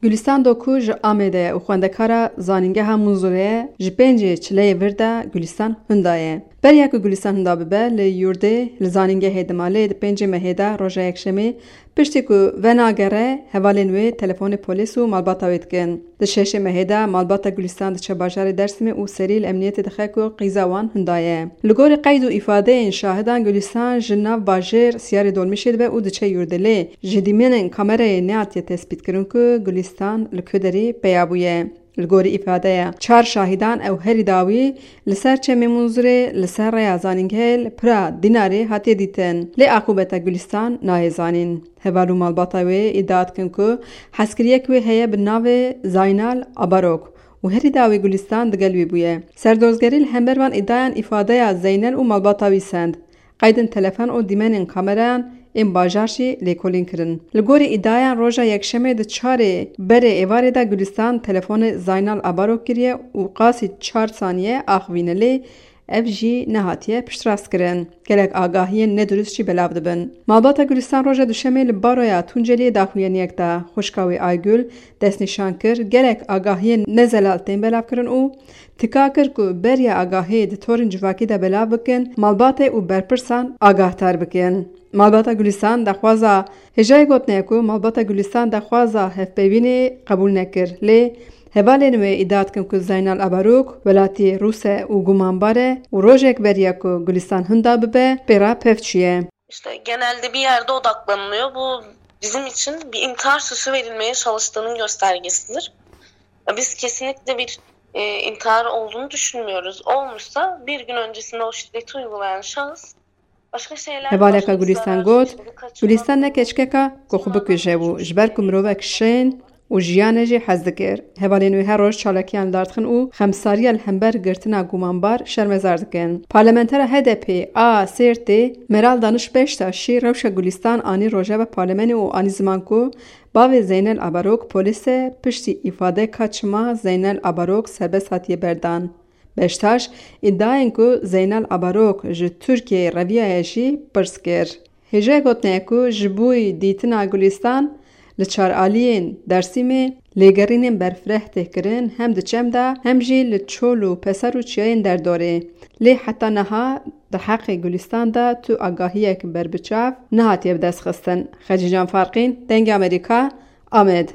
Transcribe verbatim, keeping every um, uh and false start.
Gulistan Doku ji Amedê ye û xwendekara Zanîngeha Munzurê ye. Ji pêncê çileyê vir de Gulistan hinda ye. Beriya ku Gulistan hinda bibe, li yurdê, li zanîngehê dima, lê di pêncê mehê de, roja yekşemê, piştî ku venagere, hevalên wê telefonê polîs û malbata wê dikin. Di şeşê mehê de malbata Gulistan diçe bajarê Dêrsimê û serî li emniyetê dixe ku qîza wan hinda ye. Li gorî qeyd û îfadeyên şahidan, Gulistan ji nav bajêr siyarê dolmîşê dibe û diçe yurdê, lê ji dîmenên kamerayê nehatiye tespîtkirin ku Gulistan li ku derê peya bûye. Li gorî îfadeya çar şahîdan, ew herî dawî li ser çemê Munzurê, li ser rêya Zanîngehê li pira Dînarê hatiye dîtin. Lê aqûbeta Gulistan nayê zanîn. Heval û malbata wê îdia dikin ku hezkiriyek wê heye bi navê Zaynal Abarok û herî dawî Gulistan digel wî bûye. Serdozgerî li hember van îdiayan îfadeya Zeynel û malbata wî send. Qeydên telefon û dîmenên kamerayan ên bajar jî lêkolîn kirin. Li gorî îdiayan, roja yekşemê di çarê berê êvarê de Gulistan telefonê Zaynal Abarok kiriye û qasî çar saniye axivîne, lê ev jî nehatiye piştrast kirin. Gelek agahiyên nedurist jî belav dibin. Malbata Gulistan roja duşemê li baroya Tunceliyê daxuyaniyek da. Xwişka wê Aygul destnîşan kir, gelek agahiyên nezelal tên belavkirin û tika kir ku beriya agahiyê di torên civakî de belav bikin, malbatê û berpirsan agahtar bikin. Malbata Gulistan daxwaza, hêjayê gotinê ye ku malbata Gulistan daxwaza hevpeyvînê qebûl nekir, lê hevalên wê îdia dikin ku Zeynal Abarok welatî Rûs e û gumanbar e û rojek beriya ku Gulistan hinda bibe, pê re pev çûye. İşte genelde bir yerde odaklanılıyor. Bu bizim için bir intihar süsü verilmeye çalıştığının göstergesidir. Biz kesinlikle bir e, intihar olduğunu düşünmüyoruz. Olmuşsa bir gün öncesinde o şiddeti uygulayan şahıs başka şeyler... Hevaleka Gulistan got, Gulistan ne keçkeka ku xwe bikuje bû, ji ber ku mirovek şên û jiyanê jî hez dikir. Hevalên wê her roj çalakiyan li dar dixin û xemsariya li hember girtina gumanbar şermezar dikin. Parlamentera H D P a Sêrtê Meral Daniş Beştaş jî rewşa Gulistan anî rojeva parlemenê û anî ziman ku bavê Zeynel Abarok polîs e, piştî îfade ka çima Zeynel Abarok serbest hatiye berdan. Beştaş îdiayên ku Zeynel Abarok ji Tirkiyeyê reviyaye jî pirs kir. Hêjayê gotinê ye ku ji bo dîtina Gulistan li çar aliyên Dêrsimê lêgerînên berfireh tê kirin, hem di çem de hem jî li çol û peser û çiyayên derdorê. Lê heta niha di heqê Gulistan de tu agahiyek berbiçav nehatiye bidestxistin. Xecîcan Farqîn, Dengê Amerîka, Amed.